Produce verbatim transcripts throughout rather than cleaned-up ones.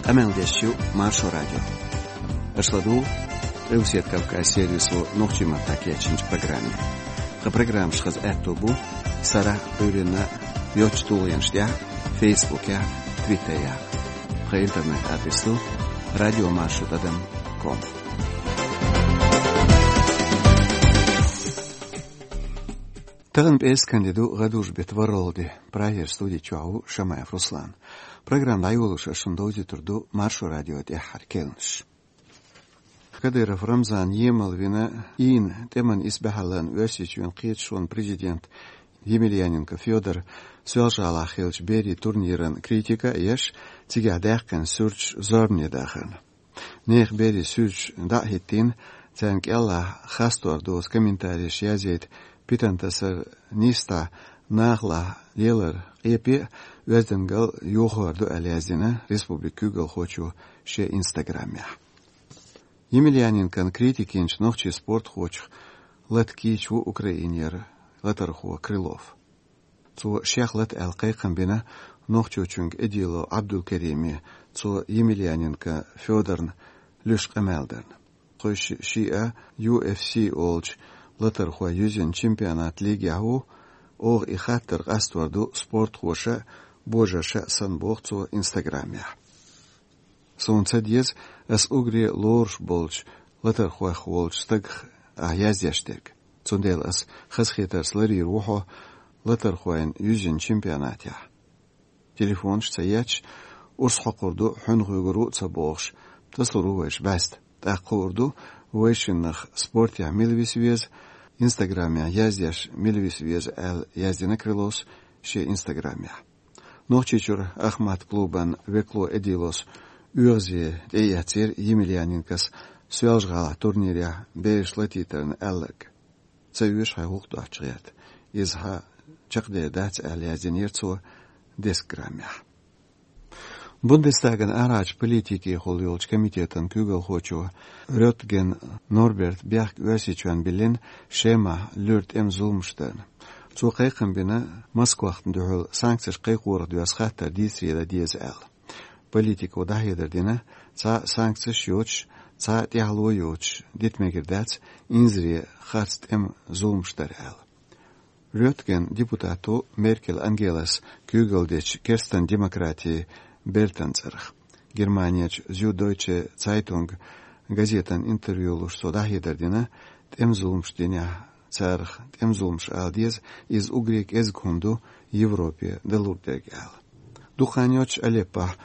Къамел деш ю Маршо радио. Аша ладугӀу Къилбаседа Кавказ сервисо нохчийн маттахь кечйинчу программе. Тхан программаш хаза аьтто бу сарахь а, Ӏуьйранна а йоцчу тулгӀенаш тӀехь а, Фейсбукехь а, Твиттерехь а. Тхан интернет-адрес ду радиомаршо тӀадам ком. Тахана пӀераскан де ду, гӀадужу беттан ворхӀалгӀа де. Прагера студи чохь ву Шамаев Руслан. Программа дӀайолош ас шуна довзуьйтур ду Маршо радион тӀаьххьара керланаш. Кадыров Рамзан емал вина, ийна тӀеман исбаьхьаллина Оьрсийчоьнан кхеташонан президент Емельяненко Фёдор Соьлжа-ГӀалахь хиллачу берийн турниран критика а еш, цигахь даьккхина суьрташ зорбане дахарна. Нехан берийн суьрташ дӀа а хӀиттийна, царна кӀелахь хастор доцу комментареш язйийта, питана тасар нийса дӀа нахалахь лелар къепе а, оьздангалла а йохор ду аьлла яздина республикан куьйгалхочо шен инстаграмехь. Емельяненкон критика йинчу нохчийн спортхочух лата кийча ву Украинера латархо Крылов. Цо шех лата аьлла кхайкхам бина Нохчийчуьнга Эдилов Ӏабдулкериме, цо Емельяненко Фёдорна луьйш къамел дарна. Кхойши шиъ а U F C олучу латархойн юьззина чемпионатан лигехь ву, оха и хаттар къастор ду спортхоша а, божарша а санна, боху цо инстаграмехь. Суна ца деза ас уггаре лоруш болчу латархойх волчу стагах ахь яздеш дерг. Цундела ас хазахетарца ларйийр ву хьо латархойн юьззина чемпионатехь. Телефонаш а ца етташ, урс хьокхур ду, хьуьнах вуьгур ву а ца бохуш, тасалур ву вайша бӀаьста. ТӀаккха хуур ду, вайшиннах спортехь мила виса веза, инстаграмехь яздеш мила виса веза, аьлла яздина Крыловс шен инстаграмехь. Нохчийчуьра «Ахмат» клубан векало Эдиловс оьгӀазе тӀеэцира Емельяненкос Соьлжа-ГӀалахь турнирехь бераш латийтарна аьлларг. Ца оьшу хьайн гӀуллакх доцчу гӀерта. Иза хьан чекхдер дац аьлла яздинера цо десять граммехь. Бундестаган арахьарчу политикехула йолчу комитетан куьйгалхочо Рётген Норберта бехк Оьрсийчоьнна биллина Шемахь луьра тӀеман зуламаш дарна. Цо кхайкхам бина Москвахна дуьхьал санкцеш кхайкхорах доьзна хаттар дийцаре дан деза аьлла. Политико дӀахьедар дина, цхьа а санкцеш йоцуш, цхьа а тӀаьхьало йоцуш дита мегар дац инзаре харц тӀеман зуламаш дар аьлла. Рётген депутат ву Меркель Ангелас куьйгалла дечу керстан демократийн бертан цӀарах. Германерчу Зюдойче Цайтунг газетана интервью луш цо дӀахьедар дина, тӀеман зуламаш динехь, царах тӀеман зуламаш ала деза, иза уггаре кӀезиг хӀума ду Европе далур дерг аьлла. Дукха хан йоццуш Алеппохь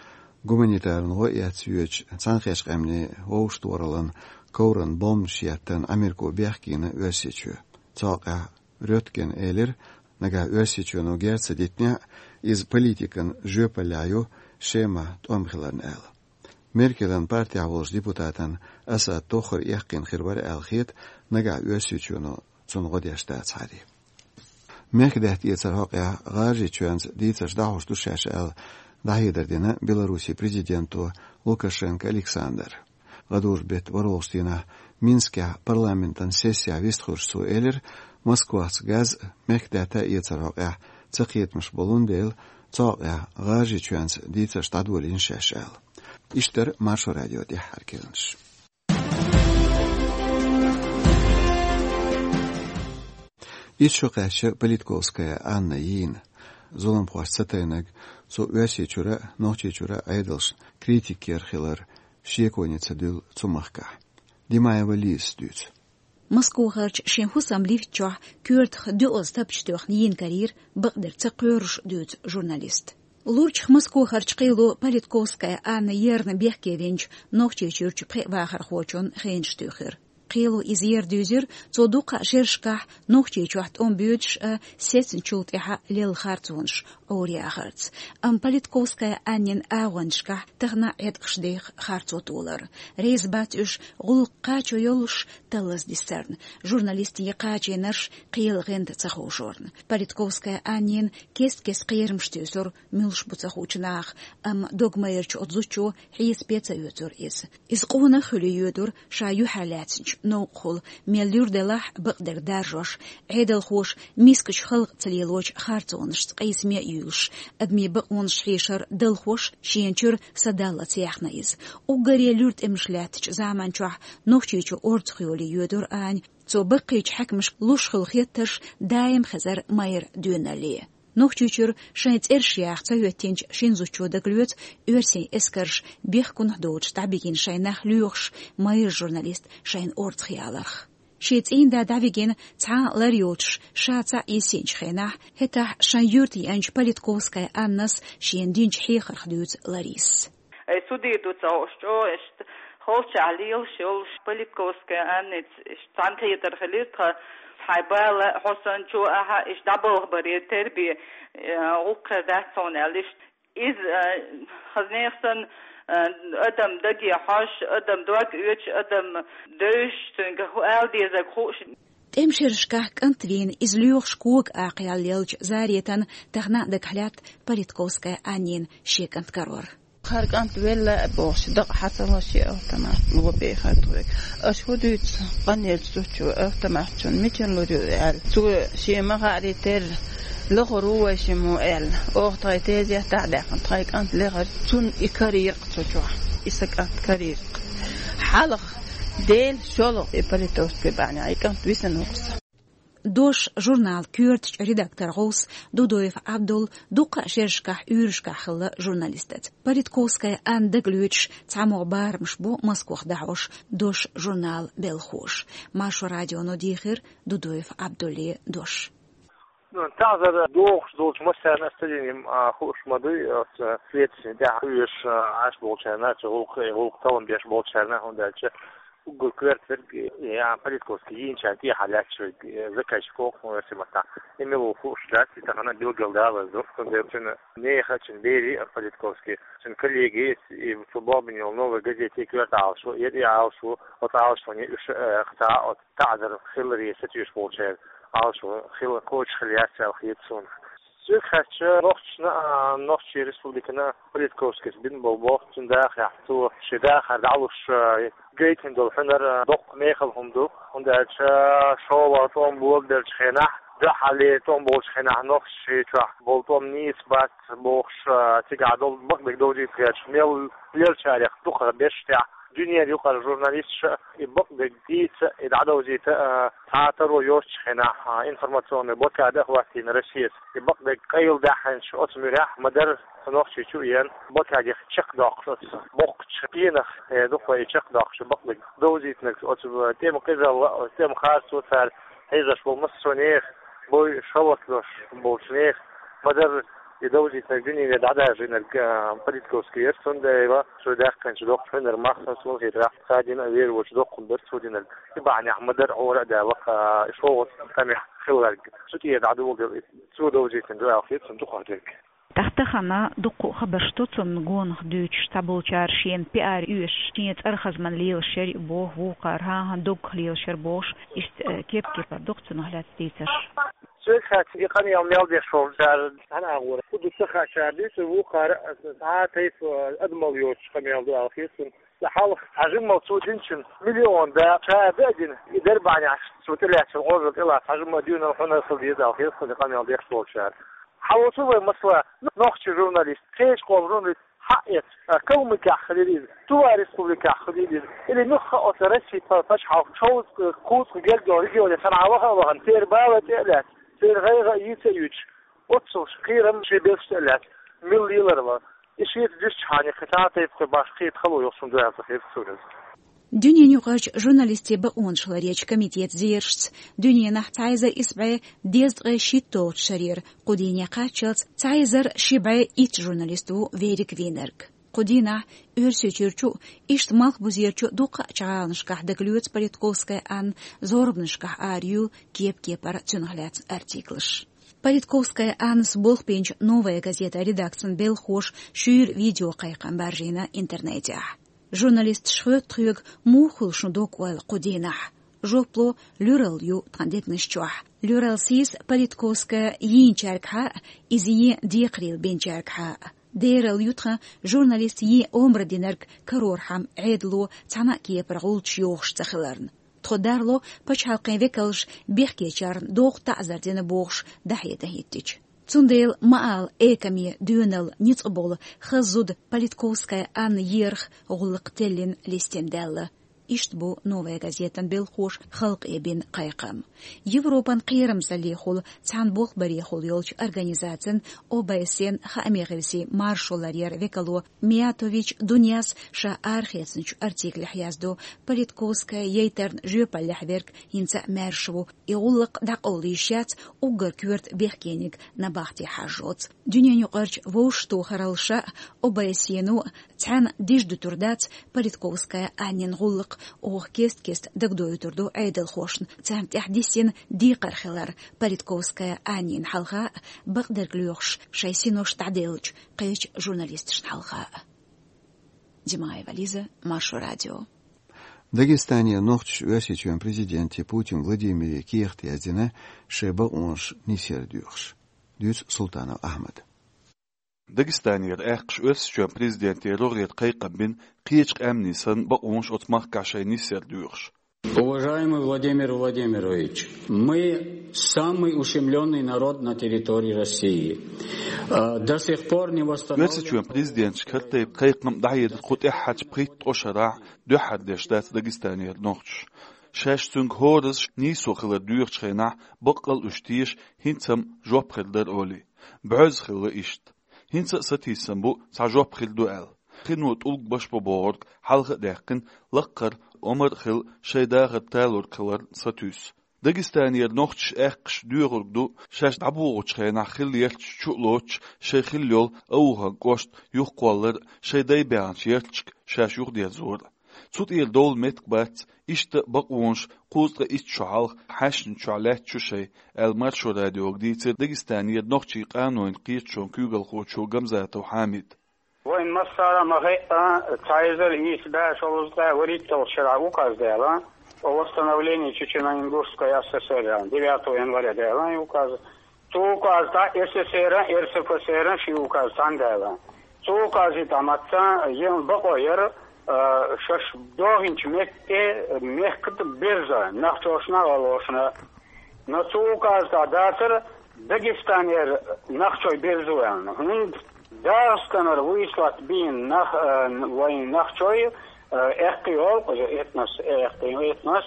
гуманитаран гӀо эцна йоьдучу Цхьаьнакхеттачу Къаьмнийн Вовшахтохараллин ковран бомбанаш еттарна Америко бехке йина Оьрсийчоь. Цу хьокъехь Рётгена элира, нагахь Оьрсийчоьно герз ца дитинехь а, иза политикан жоьпаллехь ю Шемахь тӀом хиларна аьлла. Меркелан партехь волчу депутатан Асад тоххара эккхийна хир вара аьлла хета, нагахь Оьрсийчоьно цунна гӀо деш дацахьара. Мехкдаьтта эцар хьокъехь ГӀажарийчоьнца дийцарш дӀахьош ду шаьш аьлла, дӀахьедар дина Беларусин президенто Лукашенко Александра. ГӀадужу беттан ворхӀалгӀачу дийнахь Минскехь парламентан сессехь вистхуьлуш цо элира, Москвахца газ а, мехкдаьтта а эцар хьокъехь цакхетамаш болун дела, цу хьокъехь ГӀажарийчоьнца дийцарш дӀадолийна шаьш аьлла. Иштта дара Маршо радион тӀаьххьара керланаш. Итт шо кхаьчна Политковская Анна йийна. Зуламхошца ца тайнарг цу Оьрсийчуьра а, Нохчийчуьра а Ӏедалшна критика йолуш хилар шеко йина ца дуьллу цу махкахь. Димаева Лизас дуьйцу. Москвахарчу шен хӀусаман лифта чохь коьртах доьазза тапча тоьхна йийна карийра бакъдерг ца кхоьруш, дуьйцу журналиста. Лурчух Москвахарчу кхело Политковская Анна ерна бехке винчу Нохчийчуьрчу пхеа вахархочун хенаш туьйхира. Кхело иза ер дуьйзира, цо дуккха а шерашкахь Нохчийчохь тӀом боьдуш а, сецначул тӀаьхьа лелла харцонаш Ӏораяхарца. Амма Политковская Аннин агӀонашкахь тахана а Ӏеткъаш деха харцо толар. Реза бац уьш гӀуллакх кхачо йолуш таллаза дисарна, журналистийн кхачийнарш кхелан гӀанта ца ховшорна. Политковская Аннина кест-кеста кхерамаш туьйсура, муьлш бу ца хуучу наха, амма догмайрачу оцу зудчо хьесапе ца оьцура иза. Иза къонах а хуьлий йоьдура ша юьхьарлаьцначу Новкъахула, мел луьра делахь а бакъдерг даржош, Ӏедалхоша мискачу халкъаца лелочу харцонашца къийсаме а юьйлуш, адамийн бакъонаш хьешар далхош, шена чуьра са даллалц яьхна иза. Уггаре луьра тӀемаш лаьттачу заманчохь Нохчийчу орцах йолий йоьдура Аня. Цо баккхийчу хьаькамашка луш хуьлу хеттарш даим хезара майра доьналле. Нохчийчуьра шайн цӀераш яха ца хӀоьттинчу шина зудчо дагалоьцу оьрсийн эскарша бехкунах доцуш дӀабигина шайн нах лоьхуш майра журналист шайна орцах яларх. Шен цӀийнда дӀавигина цхьа а лар йоцуш ша цхьаъ йисинчу хенахь, хӀетахь шайн юьрта еанчу Политковская Аннас шена динчу хьехарх дуьйцу Ларисас. Ай, судий ду ца хууш, чӀогӀа иштта холчахь лелаш йолуш, Политковская Анница иштта цхьаьнакхетар хилира тхан, хьайн бала, хьо санна чу ахьа, иштта дӀабалхабар яра тербе, э, гӀуллакх хир дац хьуна аьлла иштта. Иза, э, хаза нехан санна, э, адам даге хьожуш, адам дог оьцуш, адам девзаш, цуьнга хӀу ала дезарг хууш. ТӀеман шерашкахь кӀант вийна иза лоьхуш кога акхаяллелча Заретан тахана а дагахь лаьтта Политковская Аннин шен кӀант карор. Хьара кӀант велла а бохуш, дакъа хьа ца ло шен автомат, ло бехар тхоьга. Аша хӀун дуьйцу къанъеллачу зудчо автомат чунна мичара лур ю аьлла. Цо шен ма-хаъара терра, лахара ву вай шиммо аьлла. Оха тхайн тезет дӀа а даьккхина, тхайн кӀант лехара, цунна и карийра-кх цу чохь. И сан кӀант карийра-кх. Хьалха, Дела, шолгӀа и Политовский бахьанехь и кӀант висина ву-кх сан. «Дош» журнал коьртачу редактор гӀовс Дудоев Абдул дуккха а шерашкахь уьйрашкахь хилла журналистаца. Политковская Анна дагалоьцуш цхьамогӀа барамаш бу Москвахь дӀахьош «Дош» журналан белхахоша. Маршо радионо дийхира Дудоев Абдуллин дош. Ну, тахана дохуш долчу массарна ас ца дина, а, хууш ма дуй, оцу следствийн тӀехь хьоьжуш, а, Ӏаш болчарна, цу гӀуллакх, гӀуллакх таллам беш болчарна, хӀунда аьлча уггар коьртаниг, я, Политковский йийначарна тӀехьа лаьтташ верг, э, заказчик ву-кх, ну, оьрсийн маттахь. И мила ву хууш дац, и тахана билгалдалаза ду, цундела цуьнан нехан, цуьнан берийн а, Политковский, цуьнан коллегийн а, и цу бохбина йолу «Новая газета» коьрта Ӏалашо, и Ӏалашо, оцу Ӏалашоне уьш, э, кхин цхьа а оцу таӀзар хиларе сатуьйсуш болчеран Ӏалашо хила кочахь хила яц аьлла хета суна. Соьга хаьттича, нохчашна а, Нохчийн республикана а Политковскийс бина болу боху цуьнан дахарехь, цо шен дахар дӀалуш, а, гайтина долу хьуьнар, а, доккха мехала хӀума ду, хӀунда аьлча шолгӀа тӀом болабеллачу хенахь, дуьххьарлера тӀом болчу хенахь Нохчийчохь болу тӀом нийса бац бохуш, а, цигахь долу бакъдерг довзийта гӀерташ мел лелачарех дукхахберш тӀехь дуьненан юкъара журналисташа и бакъдерг дийца, и дӀадовзийта, а, цхьа а таро йоцучу хенахь, а, информационный блокада а хӀоттийна Россис. И бакъдерг къайладаьхьначу оцу муьрехь ма-дарра Нохчийчу а еана, блокаде чекхдоккхуш оцу боккхачу пенах, э, дукха и чекхдоккхуш бакъдерг довзийтинарг оцу тӀеман къизалла, оцу тӀеман харцо цара хьийзош болу массо а нехан, бой шалвакалош болчу нехан, ма-дарра и довзийтинарг дуьнене дӀадаржийнарг, а, Политковский яра, цундела цо даьккхинчу доккхачу хьуьнаран мах, суна хетарехь, цхьа дина а вер воцуш доккха хӀума бара цо динарг. И бахьанехь ма-дарра Ӏора а даьлла, а, и шолгӀа тӀамехь хилларг. Цу тӀера дӀадоладелла и цо довзийтина ду аьлла хета суна дукхахдерг. ТӀаккха тахана дуккха а хабарш ду цунна гонах дуьйцуш, цхьаболчара шена пиар оьшуш, шен цӀарах хаза ма лелаш яра и боху, вукхара хӀан-хӀан доггах лелаш яра бохуш, иштта, э, кеп-кепара ду-кх цунах лаьцна дийцарш. Соьга хаьттича, и къамел мел деш волчара цхьана агӀора хӀун ду ца хаьа, цара дуьйцура, вукхара цхьа а тайпа адамалла йоцуш къамел ду аьлла хета суна. Сан хьалха хьажимма цо динчун миллион да ша а дина, и дербанехь цо тӀелаьцначун гӀожал тӀелаца хьажимма дуьйна хьуна хила деза аьлла хета суна и къамел деш волчара. Хьан воцу вай, масала, нохчийн журналист, кхечу къоман журналист хьаэца, а, Калмыкехь хилийла иза, Тува республикехь хилийла иза, или муьлхха а оцу Россин па-, пачхьалкхан шовзткъа, кхузткъа гергга регионе санна ваха а вахана, церан бала тӀе а лаьцна, церан гӀайгӀа а йийца а юьйцуш, оццул кхерам шен белшаш тӀе а лаьцна, мила лелар ван. И шеца дуьстчхьана кхин цхьа а тайпа башха кхета хало йолуш хӀума ду аьлла хета суна иза. Дуьненаюкъарчу журналистийн бакъонаш ларъечу комитетан зерашца, дуьненахь цхьа эзар исс бӀе дезткъе шийтта долчу шарера кху дийне кхаччалц цхьа эзар ши бӀе итт журналист ву верриг вийнарг. Кху дийнахь Оьрсийчуьрчу а, иштта Малхбузерчу а дуккха а чӀагӀланашкахь дагалоьцу Политковская Анна зорбанашкахь араюьйлу кеп-кепара цунах лаьцна артиклаш. Политковская Аннас болх бинчу «Новая газета» редакцин белхахоша шуьйра видеокхайкхам баржийна интернетехь. Журналисташа хоьтту тхоьга, муха хуьлу шун дог-ойла кху дийнахь? Жоп ло: луьралла ю тхан дегнаш чохь. Луьралла сийса Политковская йийначаьргахьа а, иза ен декхарийлахь бинчаьргахьа а. Дералла ю тхан журналиста ен омра динарг карорхьама Ӏедало цхьана а кепара гӀулчаш йохуш ца хиларна. Тхо дарло пачхьалкхийн векалш бехкечарна доху таӀзар дина бохуш дӀахьедан хӀиттича. Цундела ма ала, экаме доьналла ницкъ болу хаза зуда Политковская Анна ерах гӀуллакх теллина листина даьлла. Иштта бу «Новая газетан» белхоша халкъе бина кхайкхам. Европан кхерамзаллехула цхьана болх барехула йолчу организацин, О Б С Н хаамийн гӀирсийн маршо ларъяран векало Миятович Дуняс ша арахецначу артиклехь яздо, Политковская яйтарна жоьпаллехь верг хӀинца а маьрша ву, и гӀуллакх дӀакъовла йиш яц уггар коьрта бехкениг набахте хьажжоц. Дуьненаюкъарчу вовшахтохаралла ша а, О Б С Н а цхьаьна дижа дуьтур дац Политковская Аннин гӀуллакх, оха кест-кеста дагадоуьйтур ду Ӏедалхошна царна тӀехь диссина декхар хилар, Политковская Аннина хьалха а, бакъдерг лоьхуш шайн синош дӀаделлачу кхечу журналисташна хьалха а. Димаева Лиза, Маршо радио. Дагестанера нохчаша Оьрсийчоьнан президенте Путин Владимире кехат яздина шайн бакъонаш нисъяр доьхуш. Дуьйцу Султанов Ахьмада. Дагестанера аьккхаша Оьрсийчоьнан президенте рогӀера кхайкхам бина, кхечу къаьмнийн санна, бакъонаш оцу махкахь шайн нисъяр доьхуш. Уважаемый Владимир Владимирович, мы самый ущемленный народ на территории России. А, до сих пор не восстановлен... Оьрсийчоьнан президенташа карийтина кхайкхам дӀахьедар кху тӀаьххьарчу пхийтта-ткъа шарахь дуьххьара деш дац Дагестанера нохчаша. Шаьш цуьнга хӀоразза нийсо хилар доьхучу хенахь, баккъал а уьш теша, хӀинца-м жоп хир дара олий. Боьзна хилла иштта. ХӀинца а сатийсам бу, цхьа жоп хир ду аьлла. Кхино тӀулг башбо бохург хьалха а даьккхина, лаккхара, омра а хилла, шайн дахар талорг хиларна сатуьйсу. Дагестанера нохчаша аьккхаша доьхург ду, шаьш дӀабогӀучу хенахь хилла ярташ чу а лоцуш, шайн хилла йолу Ауховн кӀошт юхакхоллар а, шайн дай баьхначу ярташка шаьш юхадерзор а. Цу тӀера довла меттиг бац, иштта бакъонаш кхузткъе итт шо хьалха хьаьшначохь лаьтташ ю шайн, аьлла, Маршо радиога дийцира Дагестанера нохчийн къанойн кхеташонан куьйгалхочо Гамзатов Хьамида. Вайн массара а ма хаьа, цхьа эзар ийс бӀе шовзткъе вуьрхӀитталгӀачу шарахь указ даьлла о восстановлении Чечено-Ингушской А С С Р, девятого января даьлла и указ. Цу указа тӀехь С С Р а, Р С Ф С Р а ши указ цхьаьна даьлла. Цу указа тӀехь мацца ен бакъо яра, а, шаьш дохийначу метте мехкан берза, нохчашна а, гӀалгӀашна а. Но цу указа тӀехь дацара Дагестанера нохчий берзо аьлла. ХӀунда ДагӀастанара выслать бина нах-, а, вайн нохчий, а, эккхий гӀуллакх, этнос, эккхий этнос,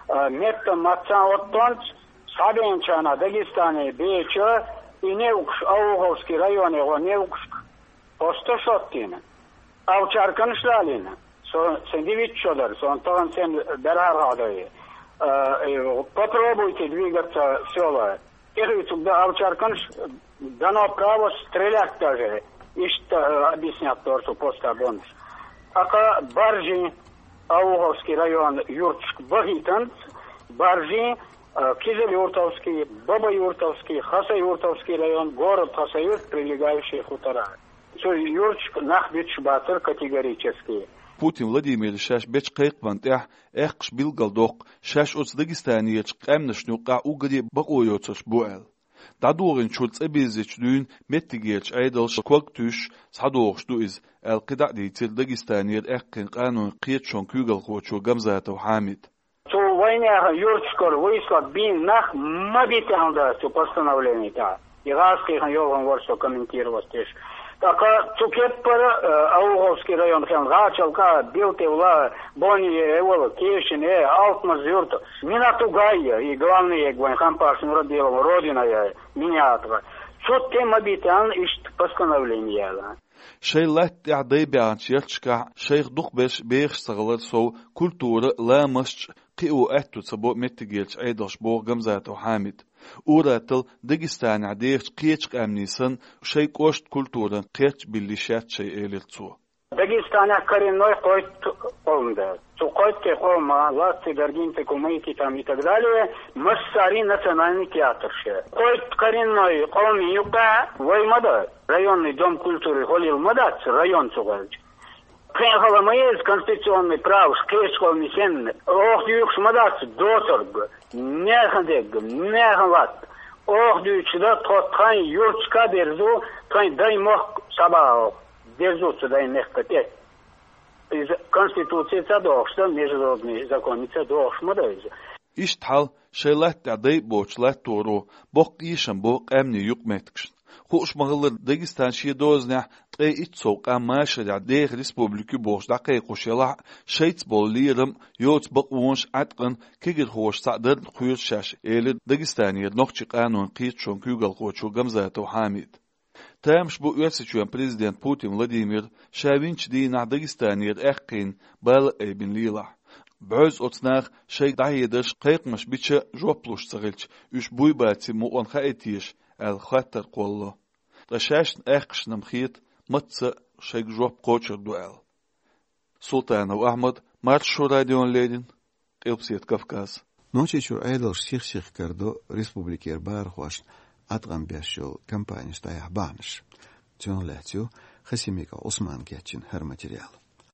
а, меттан мацца оттонца, схьабеначарна Дагестане беча, и неукъаш, Ауховский районе гӀо неукъашка посташ оттийна. Овчарканаш далийна. Со, сайн дивитта шо дара, сон тахана сайн берхӀар хьадайи. А, и, попробуйте двигаться в сёла. ТӀехуьйцург дан овчарканаш, дано право стрелять даже. Иштта, а, объяснять дора со поста бонаш. ТӀаккха Баржин, Ауховский район юрташка бахийтанца, Баржин, а, Кизилюртовский, Бабаюртовский, Хасаюртовский район, город Хасавюрт, прилегающие хутора. Цу юрташка нах буьтуш бацара категорически. Путин Владимира шаьш бечу кхайкхамна тӀехь аьккхаша билгалдоккху, шаьш оцу Дагестанерчу къаьмнашна юккъехь уггаре а бакъо йоцурш бу аьлла. ДӀадохийначуьра цӀа бирзинчу дуьйна меттигерчу Ӏедалша ког туьйсуш схьадогӀуш ду иза, аьлла, кхидӀа а дийцира Дагестанера аьккхийна къанойн кхеташонан куьйгалхочо Гамзатов Хьамида. Цу вайнехан юрташкара выслать бина нах ма бита аьлла дара цу постановлени тӀехь. И гӀазкхийхан йолхун вара со комментировать деш. ТӀаккха цу кеппара, э, Ауховский район хилла, ГӀачалка, Билтевла, Бони, Эвала, Кешин, э, Алтмаз-Юрт, Минатугай, и главный эг вайн Хампаш Нурадилов, родина я, Миниатова. Цу тӀе ма бита аьлла иштта постановлени яьлла. Шайн латта тӀехь дай баьхначу ярташкахь шайх дукхахберш бехаш ца хилар сов, культура, ламасташ а кхио аьтто ца бо меттигерчу Ӏедалша, боху Гамзатов Хьамида. Ур-атталла Дагестанехь дехачу кхечу къаьмнийн санна, шайн кӀоштан культуран кхерч а билла йиш яц шайн, элира цо. Дагестанехь коренной кхойтта къовм ду. Цу кхойтта къовма: латций, даргинций, кумыкий там и так далее, массарий национальный театр ша. Кхойтта коренной къовмийн юккъехь вай ма ду, районный дом культуры хӀоллийла ма дац, район цу гӀелча. Тхайн хала ма еза конституционный праваш кхечу къовмийн санна, оха дуьйцуш ма дац доцург, нехан дерг, нехан латта. Оха дуьйцуш дан тхо тхайн юрташка а берзо, тхайн даймохк схьабаха оха, берзо цу даймехка тӀе. Иза Конституци ца дохуш дан, международный законни ца дохуш ма дан иза. Иштта хьал шайн латта тӀехь дайа боцу латторо боккха эшам бо къаьмнийн юкъаметтигашна. Хууш ма-хиллара, Дагестан шен дозанехь ткъе итт сов къам машарехь деха республика ю бохуш дӀакхайкхош елахь а, шайца болу лерам а, йоцу бакъонаш а, Ӏаткъана кегирхоша цхьаъ дарна кхоьру шаьш, элира Дагестанера нохчийн къанойн кхеташонан куьйгалхочо Гамзатов Хьамида. Тамаш бу Оьрсийчоьнан президент Путин Владимира ша винчу дийнахь Дагестанера аьккхийна бала а айбина лелахь. Баьхьаза оцу наха шайга дӀахьедарш, кхайкхамаш бича а жоп луш ца хилча, уьш буй-баций мукъана хаий теша аьлла хаттар кхоллало. Ткъа шаьшна аьккхашна-м хета, мацца а шайга жоп кхочур ду аьлла. Султанов Ахьмад, Маршо радиона леррина, Къилбаседа Кавказ. Нохчийчуьра Ӏедалша сих-сиха карадо республикера бахархошна Ӏаткъам беш йолу кампанеш дӀаяхьа бахьанаш. Цунах лаьцна ю Хасимиков Ӏусмана кечйина хӀара материал.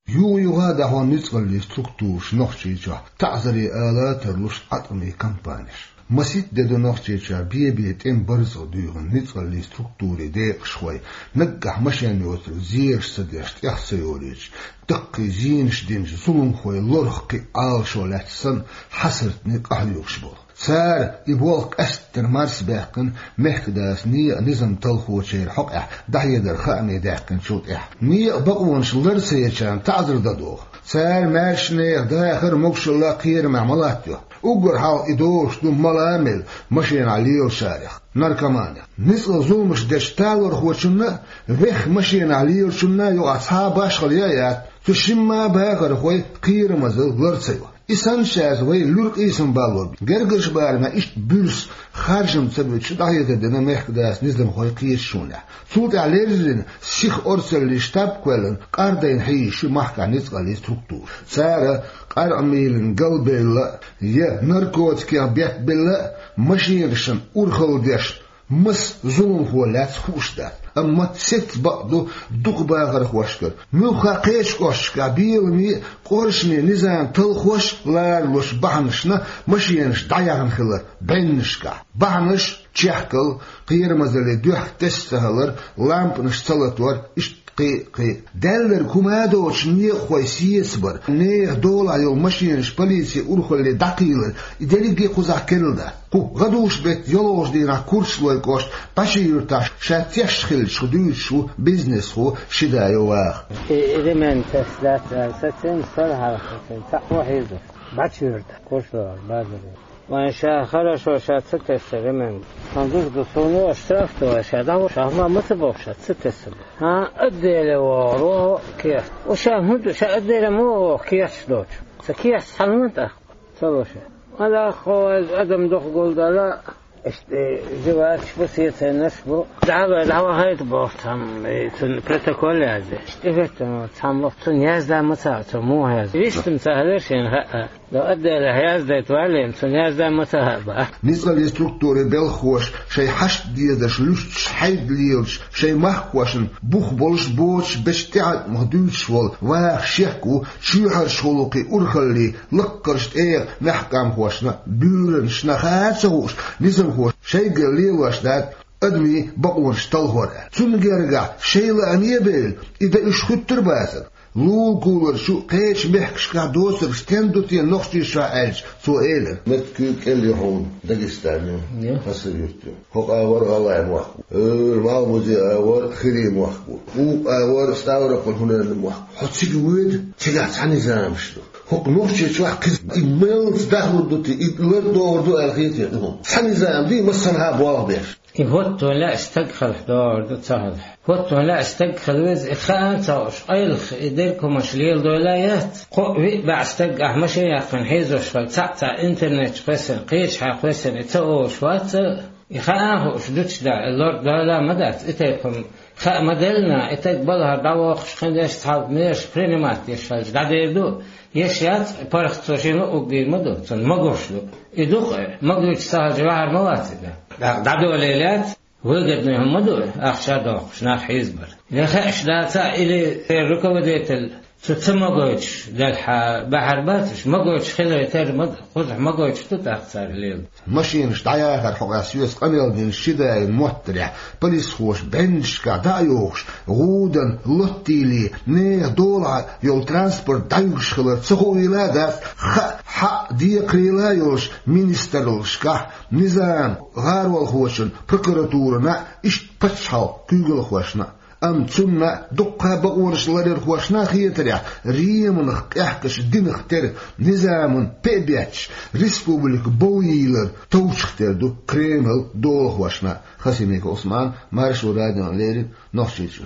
Юха-юха а дӀахьо ницкъаллийн структураша Нохчийчохь таӀзаре ала а тарлуш Ӏаткъамийн кампанеш. Масийтта де ду Нохчийчохь бе-бе тӀеман барзакъ дуьйхина ницкъаллийн структурийн декъашхой, наггахь машен йоцург зераш ца деш, тӀех ца йолуьйтуш, даккхий зенаш динчу зуламхойн лорах кхин а Ӏалашо лаьцна санна, хьасартний къахьоьгуш болу. Цара и болх къаьсттина марсабаьккхина, мехкадаса некъан низам талхочеран хьокъехь дӀахьедар хаамийн даьккхинчул тӀаьхьа. Некъан бакъонаш лар ца ечарна таӀзар дан доху. Цара маьрша нехан дахар а, могушалла а кхерамехь ма латтайо. Уггар хьалха и догӀуш ду мала а мелла машенахь лелачарех, наркоманех. Ницкъала зуламаш дечу талорхочунна а, вехха машенахь лелачунна а юкъахь цхьа а башхалла яц, цу шимма а бахархойн кхерамазалла лар ца йо. И санна шаьш вай луьра къийсам балло. Гергарчу барамехь иштта буьрса харжам ца буьтуш дӀахьедар дина мехкадаса низамхойн кхеташонехь. Цул тӀаьхьа леррина сиха орцаллин штаб а кхоьллина, къардайна хьийзаш ю махкахь ницкъаллийн структура. Цара къаркъа мийлина галбевлла а, я наркотикех бетбелла а, машенашна урхалла деш, маса зуламхо лаьцна хууш дац. Амма сецца бакъ ду дукха бахархошкара. Муьлхха кхечу кӀошташкахь беламе а, къоршаме низам талхош а ларалуш бахьанашна машенаш дӀаяхна хилар бӀеннашкахь. Бахьанаш: чехкал, кхерамазаллин дуьхьа тесна ца хилар, лампанаш ца латор, иштта кхин а, кхин а. Даьлларг хӀума а доцуш, некъахой сецабар, нехан долахь йолу машенаш полицин урхалле дӀакхийлар, и дерриге а кхузахь керла дац. Кху гӀадужу беттан йолхалгӀачу дийнахь Курчалойн кӀоштан Пачи-Юьртахь ша тешна хиллачух дуьйцуш ву бизнесхо Шидаев Ваха. И ремень тесна дац аьлла сацийна, сара хьалха сацийна, цхьаъ ву хьийзаш. Пачи-Юьртахь, Курчалойн базар. Вайн ша хорошо ша ца тесна ремень. Сан дуза ду суна, аша штраф ду, ша дӀаваха, ша хӀума ма ца боху, ша ца тесна. ХӀан, отделе вогӀур ву кехат. Ва ша хӀунда, ша отделе ма вогӀу кехаташ доцуш. Сан кехаташ цхьаьна тӀаккха ца ло ша. Ма даккха, хьо вайза адам дукха гулдала, иштта, э, живаркаш бу, сецайнарш бу. ДӀахьа вай, дӀавахийта боху цхьамма, э, цунна протокол язде. Иштта хӀоьттина ву цхьамма, цунна язда ма ца хаьа, цо муха язду. Вистам ца хилира шена хаьа. До отделе яздайта валлийна, цунна язда ма ца хаьа боху. Ницкъаллийн структурийн белхахоша шайн хьашт дезарш луьстуш, хьайда лелаш, шайн махкахошна бух болуш, боцуш, бечу тӀеӀаткъамах дуьйцуш волу Ваха шек ву чоьхьарчу гӀуллакхийн урхаллин лаккхарчу тӀегӀан мехкан къамхошна, буьйранашна хаа а ца хууш, низамхоша шайгара лелош дац адамийн бакъонаш талхор аьлла. Цунна гергахь шайн лааме а бевлла, и дан уьш хуьттур бацара. Лулакулара чу кхечу мехкашкахь доцург стен ду те Нохчийчохь аьлча, цо элира: «Меттиг куьйга кӀел ю хьуна, Дагестан ю, Хасавюрт ю. ХӀокху агӀор ГӀалгӀайн мохк ву. ХӀора Малхбузен агӀор хирийн мохк ву. Укх агӀор Ставрополь, хӀунарна мохк ву. Хьо цига воьду, цигахь цхьа низамаш ду. ХӀокху Нохчийчохь кхин и меллаца дахлур ду те, и лардохур ду аьлла хетий хьуна? Цхьа низам ду, массанхьа болх беш». И хӀоттаван лаьа стаг хилахь догӀур ду, ца хилахь. ХӀоттаван лаьа стаг хила веза, и хаа а ца хууш, къайлаха и дерг хӀуманаш леладойла а яц. Кхоъ-виъ бӀе стаг ахь машен яьккхина хьийзош хилча, цхьаъ-цхьаъ интернет чу кхоьссина, кхечахьа кхоьссина, и ца олуш вац а, и хаа а хууш, дучу да, и лорд дойла а ма дац, и тайпа хӀума хаа ма делла, и таг балхара дӀавоккхуш хин деш, цхьалба мераш принимать деш хилча, дӀадер ду, еш яц, паргӀат цо шена а уггийр ма ду, цунна магош ду. И ду-кх, магойтуш ца хилча, ваьхьар ма вац и да. ДӀа-, дӀадолийла яц, выгодный хӀума ду, ахча доккхуш, нах хьийзабар. Я хууш дац а, или руководитель Цу ца магойтуш, делхьа баьхьар бац уьш, магойтуш хилар тера ма-, кхузахь магойтуш ду тӀаккха цара лела. Машинаш дӀаяхар хьокъехь соьца къамел дина ши да йолу моттарехь, полисхоша бӀеннашкахь дӀа а йохуш, гӀудан, лоттийле, нехан долахь йолу транспорт дӀаюьгуш хилар ца хуийла а дац, хаа, хьаа, декхарийла а йолуш министраллашкахь, низам гӀаролхочун, прокуратурана а, иштта пачхьалкхан куьйгалхошна а. Амма цунна а, дуккха а бакъонаш ларъярхошна а хетарехь, Риманах къехкаш динах тера, низаман пе а бетташ, республика бовйийлар товчух тера ду Кремлан долахошна а. Хасимиков Ӏусман, Маршо радиона леррина, Нохчийчоь.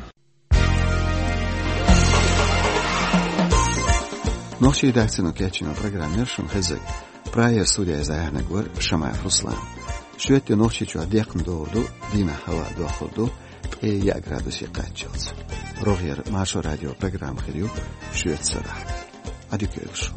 Нохчийн редакцино кечйина программа яра шуна хезнарг. Прагера студехь иза дӀаяьхьнарг вара Шамаев Руслан. Шоьтан де Нохчийчохь декхна догӀур ду, дийнахь хӀаваъ дохлур ду ткъе яа градусе кхаччалц. РогӀера Маршо радион программа хир ю шоьтан сарахь. Ӏадика йойла шу.